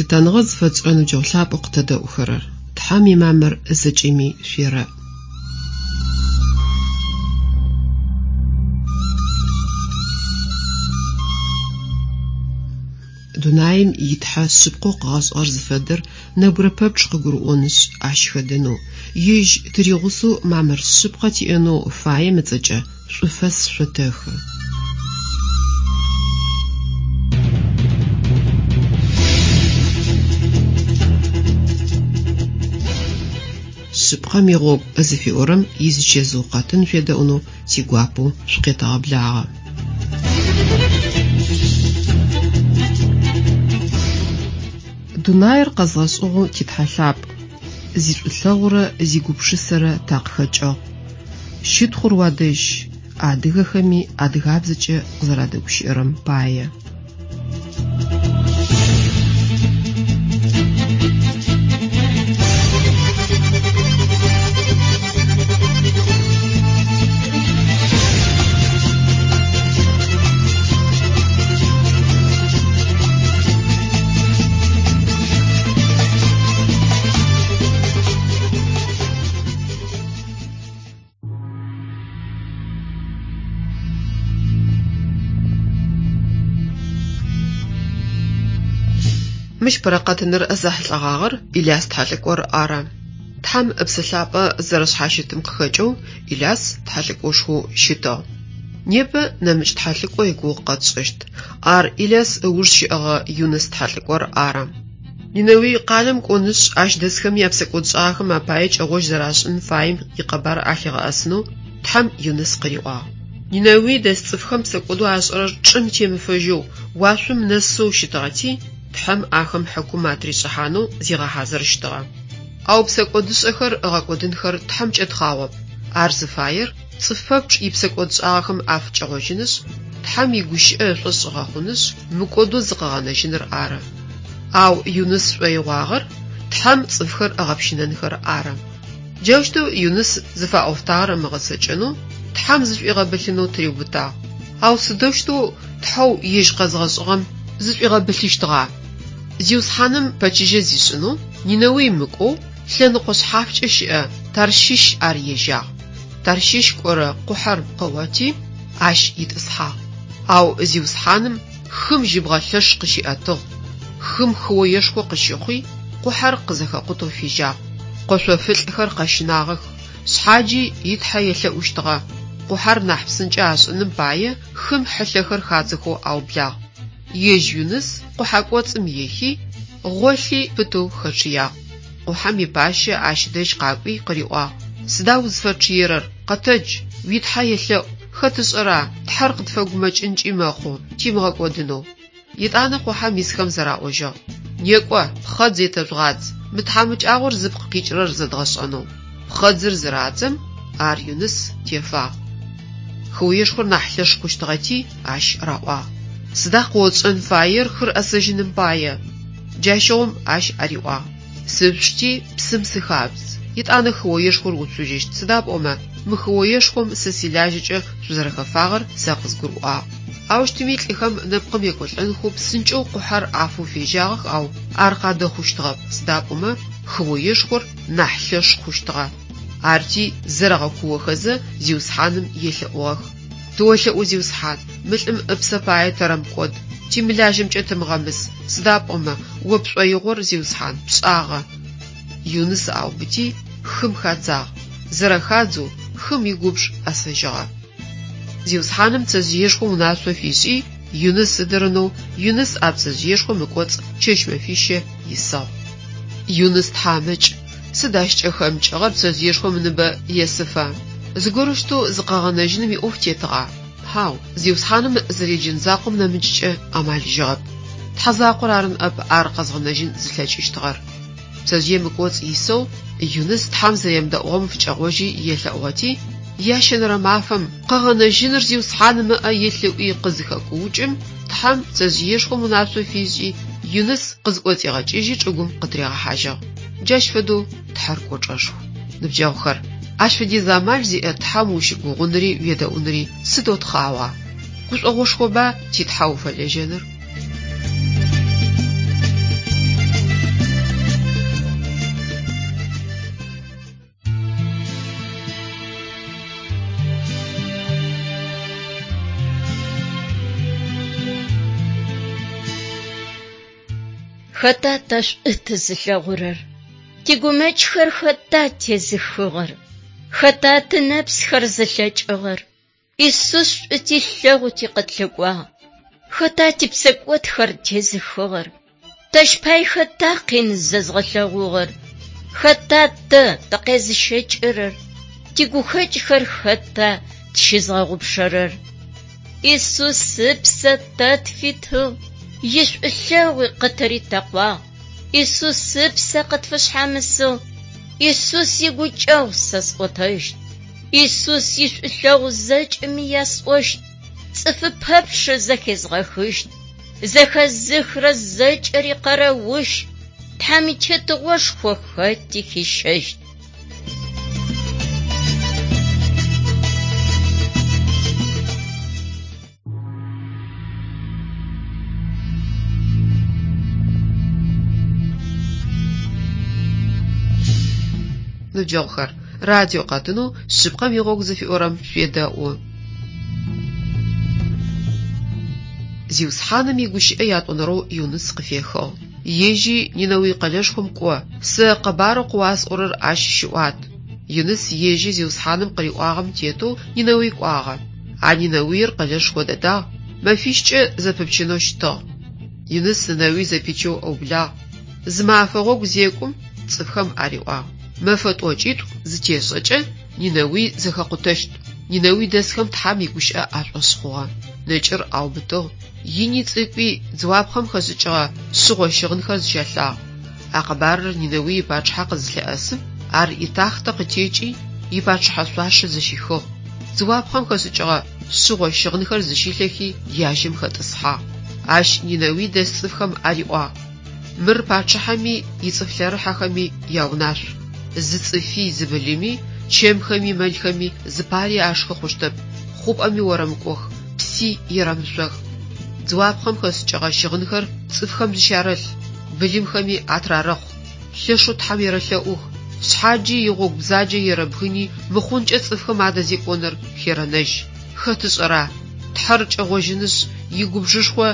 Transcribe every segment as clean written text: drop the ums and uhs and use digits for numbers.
Лъытэныгъэ зыфэтшӏырэ ныбджэгъу лъапӏэу къытэдэӏухэрэр! Тхьэм имамыр зэкӏэми шъуерэӏ! Дунаим и Тхьэ шъыпкъэу къыгъэшӏыгъэр зыфэдэр нэбгырэ пэпчъ къыгурыӏонышъ, ащ хэдэнэу, Ежь тыригъусэу мамыр шъыпкъэ тиӏэнэу фаем ыцӏэкӏэ шӏуфэс шъотэхы. Шъыпкъэм игъогу зыфиӏорэм изичэзыу къэтын шъуедэӏунэу тигуапэу шъукъетэгъэблагъэ. Дунаир къэзгъэшӏыгъэу ти Тхьэ лъапӏ, зишӏулъэгъурэ зигупшысэрэ такъыхэкӏыгъ. Щытхъур уадэжь, адыгэхэми адыгабзэкӏэ къызэрадэгущыӏэрэм пае. Мыщ пэрэ къэтыныр зэхьылӏэгъагъэр Иляс тхьэлӏыкӏор ары. Тхьэм Ыпсэ Лъапӏэ зэрэшъхьащытым къыхэкӏэу Иляс тхьэлӏыкӏошхоу щытыгъ. Непэ нэмыкӏ тхьэлӏыкӏо игугъу къэтшӏыщт. Ар Иляс ыуж щыӏэгъэ Юныс тхьэлӏыкӏор ары. Нинэуй къалэм кӏонышъ, ащ дэсхэм япсэкӏодшӏагъэхэм апае кӏэгъожь зэрашӏын фаем икъэбар алъигъэӏэсынэу Тхьэм Юныс къыриӏуагъ. Нинэуй дэс цӏыфхэм псэкӏодэу ашӏэрэр чӏым темыфэжьэу, уашъом нэсэу щытыгъэти, Тхьэм ахэм хьыкум атришӏыхьанэу зигъэхьазырыщтыгъэ. Ау псэкӏодышӏэхэр ыгъэкӏодынхэр Тхьэмкӏэ тхъагъоп. Ар зыфаер цӏыф пэпчъ ипсэкӏодшӏагъэхэм афыкӏэгъожьынышъ, Тхьэм игущыӏэ ышӏошъ ыгъэхъунышъ, мыкӏодэу зыкъыгъэнэжьыныр ары. Ау Юныс шӏоигъуагъэр Тхьэм цӏыфхэр ыгъэпщынэнхэр ары. Джаущтэу Юныс зыфаӏофтагъэр ымыгъэцэкӏэнэу, Тхьэм зышӏуигъэбылъынэу тыриубытагъ. Ау сыдэущтэу Тхьэу ежь къэзгъэшӏыгъэм зышӏуигъэбылъыщтыгъа? Зиусхьаным пэчыжьэ зишӏынэу Нинэуй мыкӏоу, лъэныкъо шъхьафкӏэ щыӏэ Тарщыщ ар ежьагъ. Тарщыщ кӏорэ къухьэр къыгъоти, ащ итӏысхьагъ. Ау Зиусхьаным хым жьыбгъэ лъэш къыщиӏэтыгъ, хым хыоешхо къыщыхъуи, къухьэр къызэхэкъутэу фежьагъ. Къошъофылӏхэр къэщынагъэх, шъхьаджи и Тхьэ елъэӏущтыгъэ. Къухьэр нахь псынкӏэ ашӏыным пае хым хьылъэхэр хадзэхэу аублагъ. Ежь Юныс къухьэ кӏоцӏым ехи, гъолъи пытэу хэчъыягъ. Къухьэм ипащэ ащ дэжь къакӏуи къыриӏуагъ, Сыда узфэчъыерэр, къэтэдж, уи Тхьэ елъэӏу, хэт ышӏэра, Тхьэр къытфэгумэкӏынкӏи мэхъу, тимыгъэкӏодынэу. Етӏанэ къухьэм исхэм зэраӏожьыгъ, Некӏо, пхъэдз етэжъугъадз, мы тхьамыкӏагъор зыпкъ къикӏырэр зэдгъэшӏэнэу. Пхъэдзыр зырадзэм, ар Юныс тефагъ. Хыоешхор нахь лъэш хъущтыгъэти, ащ раӏуагъ, Сыда къыотшӏэн фаер хыр ӏэсэжьыным пае? Джащыгъум ащ ариӏуагъ, Сышъушти, псым сыхажъудз, етӏанэ хыоешхор уцужьыщт, сыда пӏомэ, мы хыоешхом сэ силажьэкӏэ шъузэрэхэфагъэр сэ къызгурыӏуагъ. Аущтыми лӏыхэм нэпкъым екӏолӏэнхэу псынкӏэу къухьэр афэу фежьагъэх, ау ар къадэхъущтыгъэп, сыда пӏомэ хыоешхор нахь лъэш хъущтыгъэ. Арти, зэрэгъэкуохэзэ, Зиусхьаным елъэӏугъэх. Тыолъэӏу, Зиусхьан, мы лӏым ыпсэ пае тэрэмыкӏод, тимылажьэмкӏэ тымыгъэмыс, сыда пӏомэ, О пшӏоигъор, Зиусхьан, пшӏагъэ. Юныс аубыти, хым хадзагъ. Зэрэхадзэу, хым игубж ӏэсэжьыгъэ. Зиусхьаным пцэжъыешхом унашъо фишӏи, Юныс ыдырынэу, Юныс а пцэжъыешхом ыкӏоцӏ чэщ-мэфищэ исыгъ. Юныс тхьамыкӏ, сыд ащ кӏэхэмыкӏыгъэр пцэжъыешхом ыныбэ есыфэ? Зыгорэущтэу зыкъэгъэнэжьыным иӏоф тетыгъа? Хьау, Зиусхьаным зэреджэн закъом нэмыкӏкӏэ амалыжьыгъэп. Тхьэ закъор ары ныӏэп ар къэзгъэнэжьын зылъэкӏыщтыгъэр. Пцэжъыем ыкӏоцӏ исэу Юныс Тхьэм зэремыдэӏугъэм фыкӏэгъожьи елъэӏугъэти, ящэнэрэ мафэм, Къэгъэнэжьыныр Зиусхьаным ыӏэ илъ ыӏуи къызыхэкуукӏым, Тхьэм пцэжъыешхом унашъо фишӏи, Юныс къызӏоцӏигъэкӏыжьи чӏыгум къытыригъэхьажьыгъ. Джащ фэдэу Тхьэр кӏочӏэшху. Ныбджэгъухэр, ащ фэдиз амал зиӏэ Тхьэм ущыгугъунри уедэӏунри сыдэу тхъагъуа! Гушӏогъошхоба ти Тхьэ уфэлэжьэныр? Хэта тэ шӏу тызылъэгъурэр? Тигумэкӏхэр хэта тезыхыгъэр? Хэта тынэпсхэр зылъэкӏыгъэр? Исус шӏу тилъэгъути къытлъыкӏуагъ. Хэта типсэкӏодхэр тезыхыгъэр? Тэщ пай хэта къин зэзгъэлъэгъугъэр? Хэта тэ тыкъезыщэкӏырэр? Тигухэкӏхэр хэта тщызгъэгъупшэрэр? Исус ыпсэ тэ тфитыгъ, ишӏулъэгъуи къытыритэкъуагъ. Исус ыпсэ къытфышъхьамысыгъ. Исус игукӏэгъу сэ сӏотэщт. Исус ишӏулъэгъу зэкӏэми ясӏощт. Цӏыфы пэпчъ зэхезгъэхыщт. Зэхэзыхрэ зэкӏэри къэрэущ, Тхьэм итетыгъошхо хэти хищэщт. Ныбджэгъухэр, радио къэтынэу Шъыпкъэм игъогу зыфиӏорэм шъуедэӏу. Зиусхьаным игущыӏэ ятӏонэрэу Юныс къыфехыгъ. Ежьи Нинэуй къэлэшхом кӏо, сэ къэбарэу къыуасӏорэр ащ щыӏуат. Юныс ежьи Зиусхьаным къыриӏуагъэм тетэу Нинэуй кӏуагъэ. А Нинэуир къэлэшхо дэдагъ, мэфищкӏэ зэпыпчынэу щытыгъ. Юныс Нинэуй зэпичэу ыублагъ. Зы мафэ гъогу зекӏум цӏыфхэм ариӏуагъ: Мэфэ тӏокӏитӏу зытешӏэкӏэ Нинэуй зэхэкъутэщт. Нинэуй дэсхэм Тхьэм игущыӏэ ашӏошъ хъугъэ. Нэкӏыр аубытыгъ. Ини цӏыкӏуи дзыуапхъэм хэшӏыкӏыгъэ шъыгъо щыгъынхэр зыщалъагъ. А къэбарыр Нинэуй ипачъыхьэ къызылъэӏэсым, ар итахътэ къытекӏи, ипачъыхьэ шъуашэ зыщихыгъ. Дзыуапхъэм хэшӏыкӏыгъэ шъыгъо щыгъынхэр зыщилъэхи, яжьэм хэтӏысхьагъ. Ащ Нинэуй дэс цӏыфхэм ариӏуагъ: Мыр пачъыхьэми ицӏыф лъэрыхьэхэми яунашъу. Зы цӏыфи, зы былыми, чэмхэми мэлхэми зыпари ашхы хъущтэп, хъупӏэми орэмыкӏох, пси ерэмышъох. Дзыуапхъэм хэшӏыкӏыгъэ щыгъынхэр цӏыфхэм зыщарэлъ, былымхэми атырарэхъу. Лъэшэу Тхьэм ерэлъэӏух, шъхьаджи игъогу бзаджэ ерэбгыни мыхъункӏэ цӏыфхэм адэзекӏоныр херэнэжь. Хэт ышӏэра, Тхьэр кӏэгъожьынышъ, игубжышхо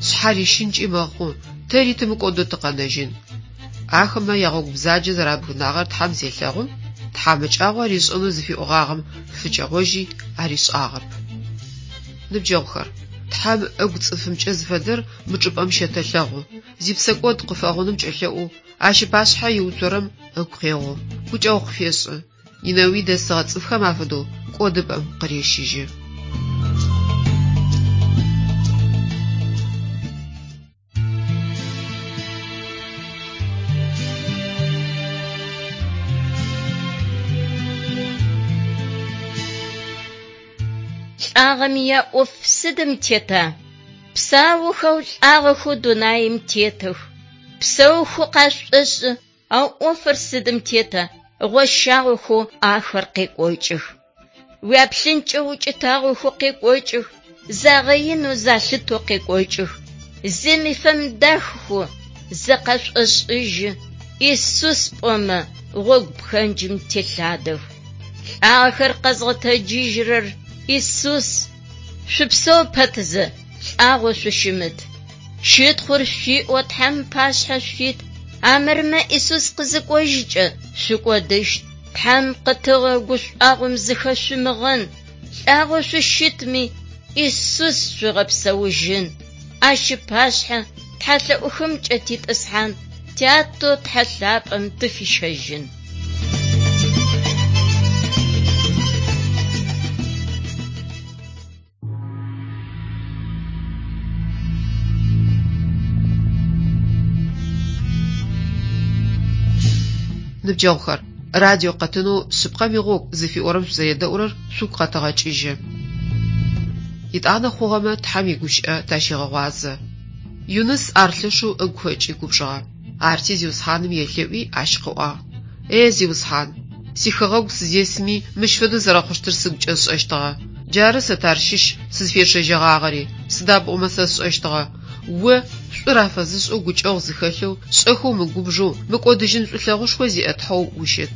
шъхьарищынкӏи мэхъу, тэри тымыкӏодэу тыкъэнэжьын. Ахэмэ ягъогу бзаджэ зэрабгынагъэр Тхьэм зелъэгъум, тхьамыкӏагъо аришӏэнэу зыфиӏогъагъэм фыкӏэгъожьи аришӏагъэп. Ныбджэгъухэр, Тхьэм ыгу цӏыфымкӏэ зыфэдэр мы чӏыпӏэм щэтэлъэгъу. Зипсэкӏод къыфэгъуным кӏэлъэӏоу, ащ ыпашъхьэ иуцорэм ыгу къегъо, гукӏэгъу къыфешӏы. Нинэуй дэсыгъэ цӏыфхэм афэдэу кӏодыпӏэм къырещыжьы. Лӏагъэми яӏоф сыдым тета? Псаухэу лӏагъэхэу дунаим тетых. Псэухэу къашӏошӏы, ау ӏофыр сыдым тета? Гъощагъэхэу ахэр къекӏокӏых. Уяплъынкӏэ укӏытагъохэу къекӏокӏых, загъэинэу залъытэу къекӏокӏых. Зыми фэмыдахэу зыкъашӏошӏыжьы, Исус пӏомэ гъогу пхэнджым телъадэх. Лӏагъэхэр къэзгъэтэджыжьырэр Исус. Шъупсэу пэтзэ, лӏагъэу шъущымыт. Щытхъур шъуиӏэу Тхьэм ыпашъхьэ шъуит, армырмэ Исус къызыкӏожьыкӏэ шъукӏодыщт. Тхьэм къытыгъэ гушӏуагъом зыхэшъумыгъэн, лӏагъэу шъущытми, Исус шъуигъэпсэужьын. Ащ ыпашъхьэ тхьэлъэӏухэмкӏэ титӏысхьан, Тятэу Тхьэ лъапӏэм тыфищэжьын. Ныбджэгъухэр, радио къэтынэу Шъыпкъэм игъогу зыфиӏорэм шъузэредэӏурэр шъугу къэтэгъэкӏыжьы. Етӏанэ хъугъэмэ Тхьэм игущыӏэ тащегъэгъуазэ. Юныс ар лъэшэу ыгу хэкӏи губжыгъэ. Арти Зиусхьаным елъэӏуи ащ къыӏуагъ: Е, Зиусхьан, сихэгъэгу сызесми мыщ фэдэу зэрэхъущтыр сыгукӏэ сшӏэщтыгъэ. Джары сэ Тарщыщ сызфечъэжьэгъагъэри, сыда пӏомэ сэ сшӏэщтыгъэ, О, шӏур афэзышӏэу гукӏэгъу зыхэлъэу, шӏэхэу мыгубжэу, мыкӏодыжьын шӏулъэгъушхо зиӏэ Тхьэу ущыт.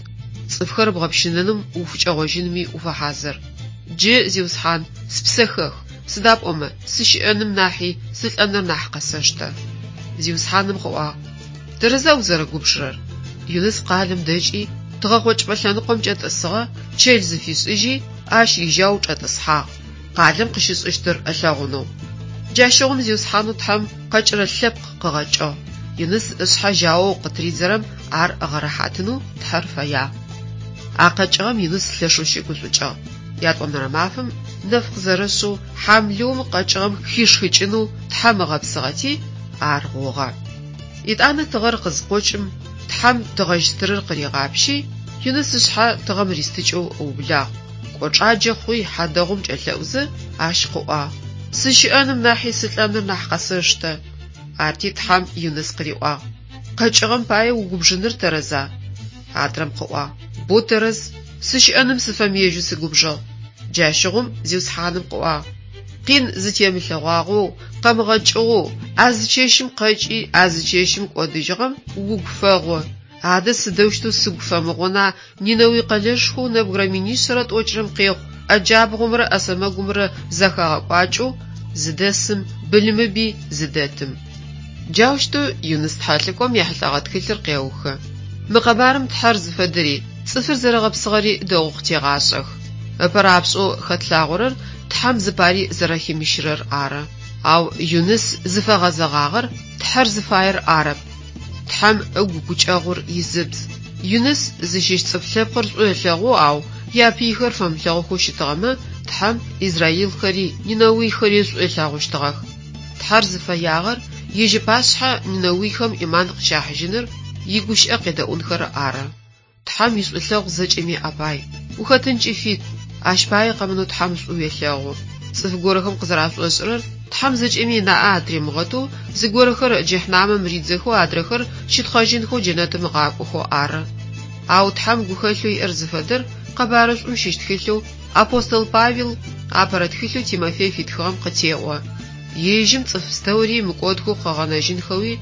Цӏыфхэр бгъэпщынэным уфыкӏэгъожьынми уфэхьазыр. Джы, Зиусхьан, спсэ хэх, сыда пӏомэ сыщыӏэным нахьи сылӏэныр нахь къэсэштэ. Зиусхьаным къыӏуагъ: Тэрэза узэрэгубжырэр? Юныс къалэм дэкӏи, тыгъэкъокӏыпӏэ лъэныкъомкӏэ тӏысыгъэ, чэл зыфишӏыжьи, ащ ижьау чӏэтӏысхьагъ, къалэм къыщышӏыщтыр ылъэгъунэу. Джащыгъум Зиусхьанэу Тхьэм къэкӏырэ лъэпкъ къыгъэкӏыгъ. Юныс ышъхьэ жьаоу къытыридзэрэм ар ыгъэрэхьатынэу Тхьэр фэягъ. А къэкӏыгъэм Юныс лъэшэу щыгушӏукӏыгъ. Ятӏонэрэ мафэм нэф къызэрэшъэу хьамлыум къэкӏыгъэм хишхыкӏынэу Тхьэм ыгъэпсыгъэти, ар гъугъэ. Етӏанэ тыгъэр къызыкъокӏым, Тхьэм тыгъэжь стырыр къыригъапщи, Юныс ышъхьэ тыгъэм ристыкӏэу ыублагъ. Кӏочӏаджэ хъуи, хьадэгъум кӏэлъэӏузэ, ащ къыӏуагъ, Сыщыӏэным нахьи сылӏэныр нахь къэсэштэ. Арти Тхьэм Юныс къыриӏуагъ, Къэкӏыгъэм пае угубжыныр тэрэза? Адрэм къыӏуагъ, Бо тэрэз, сыщыӏэным сыфэмыежьэу сыгубжыгъ. Джащыгъум Зиусхьаным къыӏуагъ, Къин зытемылъэгъуагъэу, къэмыгъэкӏыгъэу, а зы чэщым къэкӏи, а зы чэщым кӏодыжьыгъэм угу фэгъу. Адэ сыдэущтэу сыгу фэмыгъуна Нинэуй къэлэшхоу нэбгырэ минишъэрэ тӏокӏырэм къехъу ӏэ джабгъумрэ ӏэ сэмэгумрэ зэхагъэкӏуакӏэу зыдэсым, былымыби зыдэтым. Джаущтэу Юныс тхьэлӏыкӏом ехьылӏэгъэ тхылъыр къеухы. Мы къэбарым Тхьэр зыфэдэри, цӏыфыр зэрэгъэпсыгъэри дэгъоу къытегъашӏэх. Ыпэрапшӏэу хэтлъагъорэр Тхьэм зыпари зэрэхимыщырэр ары. Ау Юныс зыфэгъэзэгъагъэр Тхьэр зыфаер арэп. Тхьэм ыгу гукӏэгъур изыбз. Юныс зыщыщ цӏыф лъэпкъыр шӏу ылъэгъоу, ау япыйхэр фэмылъэгъухэу щытыгъэмэ, Тхьэм израилхэри нинэуйхэри шӏу ылъэгъущтыгъэх. Тхьэр зыфэягъэр ежь ыпашъхьэ нинэуйхэм ӏиман къыщахьыжьыныр, игущыӏэ къедэӏунхэр ары. Тхьэм ишӏулъэгъу зэкӏэми апай. Ухэтынкӏи фит, ащ пае къэмынэу Тхьэм шӏу уелъэгъу. Цӏыф горэхэм къызэрашӏошӏырэр Тхьэм зэкӏэми ынаӏэ атыримыгъэтэу, зыгорэхэр джэхьнамэм ридзэхэу, адрэхэр щытхъэжьынхэу джэнэтым ыгъакӏохэу ары. Ау Тхьэм гухэлъэу иӏэр зыфэдэр Къэбарышӏум щыщ тхылъэу апостол Павел апэрэ тхылъэу Тимофей фитхыгъэм къытеӏо. Ежьым цӏыф пстэури мыкӏодхэу къыгъэнэжьынхэуи,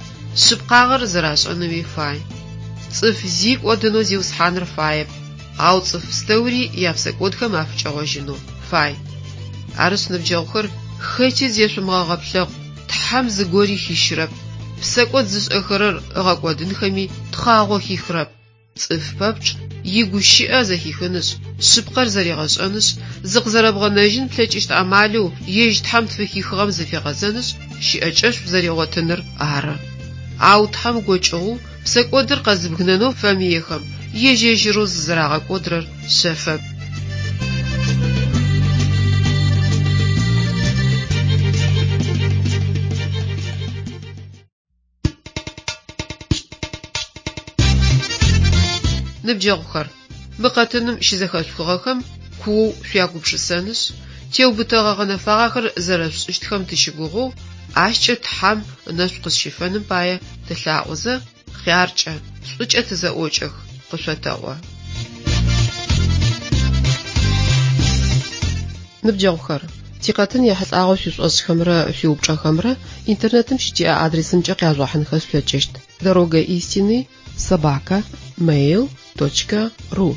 шъыпкъагъэр зэрашӏэнэуи фай. Цӏыф зи кӏодынэу Зиусхьаныр фаеп, ау цӏыф пстэури япсэкӏодхэм афыкӏэгъожьынэу фай. Арышъ, ныбджэгъухэр, хэти зешъумыгъэгъэплъэхъу, Тхьэм зыгори хищырэп, псэкӏод зышӏэхэрэр ыгъэкӏодынхэми тхъагъо хихырэп. Цӏыф пэпчъ игущыӏэ зэхихынышъ, шъыпкъэр зэригъэшӏэнышъ, зыкъызэрэбгъэнэжьын плъэкӏыщт амалэу ежь Тхьэм тфыхихыгъэм зыфигъэзэнышъ, щыӏэкӏэшӏу зэригъотыныр ары. Ау Тхьэм гокӏыгъэу псэкӏодыр къэзыбгынэнэу фэмыехэм ежь-ежьырэу зызэрагъэкӏодрэр шъэфэп. Ныбджэгъухэр, мы къэтыным щызэхэшъухыгъэхэм куоу шъуягупшысэнышъ, теубытэгъэ гъэнэфагъэхэр зэрэшъушӏыщтхэм тыщыгугъэу, ащкӏэ Тхьэм ынэшӏу къызщифэным пае тылъаӏозэ, хъяркӏэ, шӏукӏэ тызэӏокӏэх, къышъотэӏо. Ныбджэгъухэр, тикъэтын ехьылӏагъэу шъуишӏошӏхэмрэ шъуиупчӏэхэмрэ интернетым щытиӏэ адресымкӏэ къяжъугъэхьынхэ шъулъэкӏыщт: Дорога истины собака mail точка ru.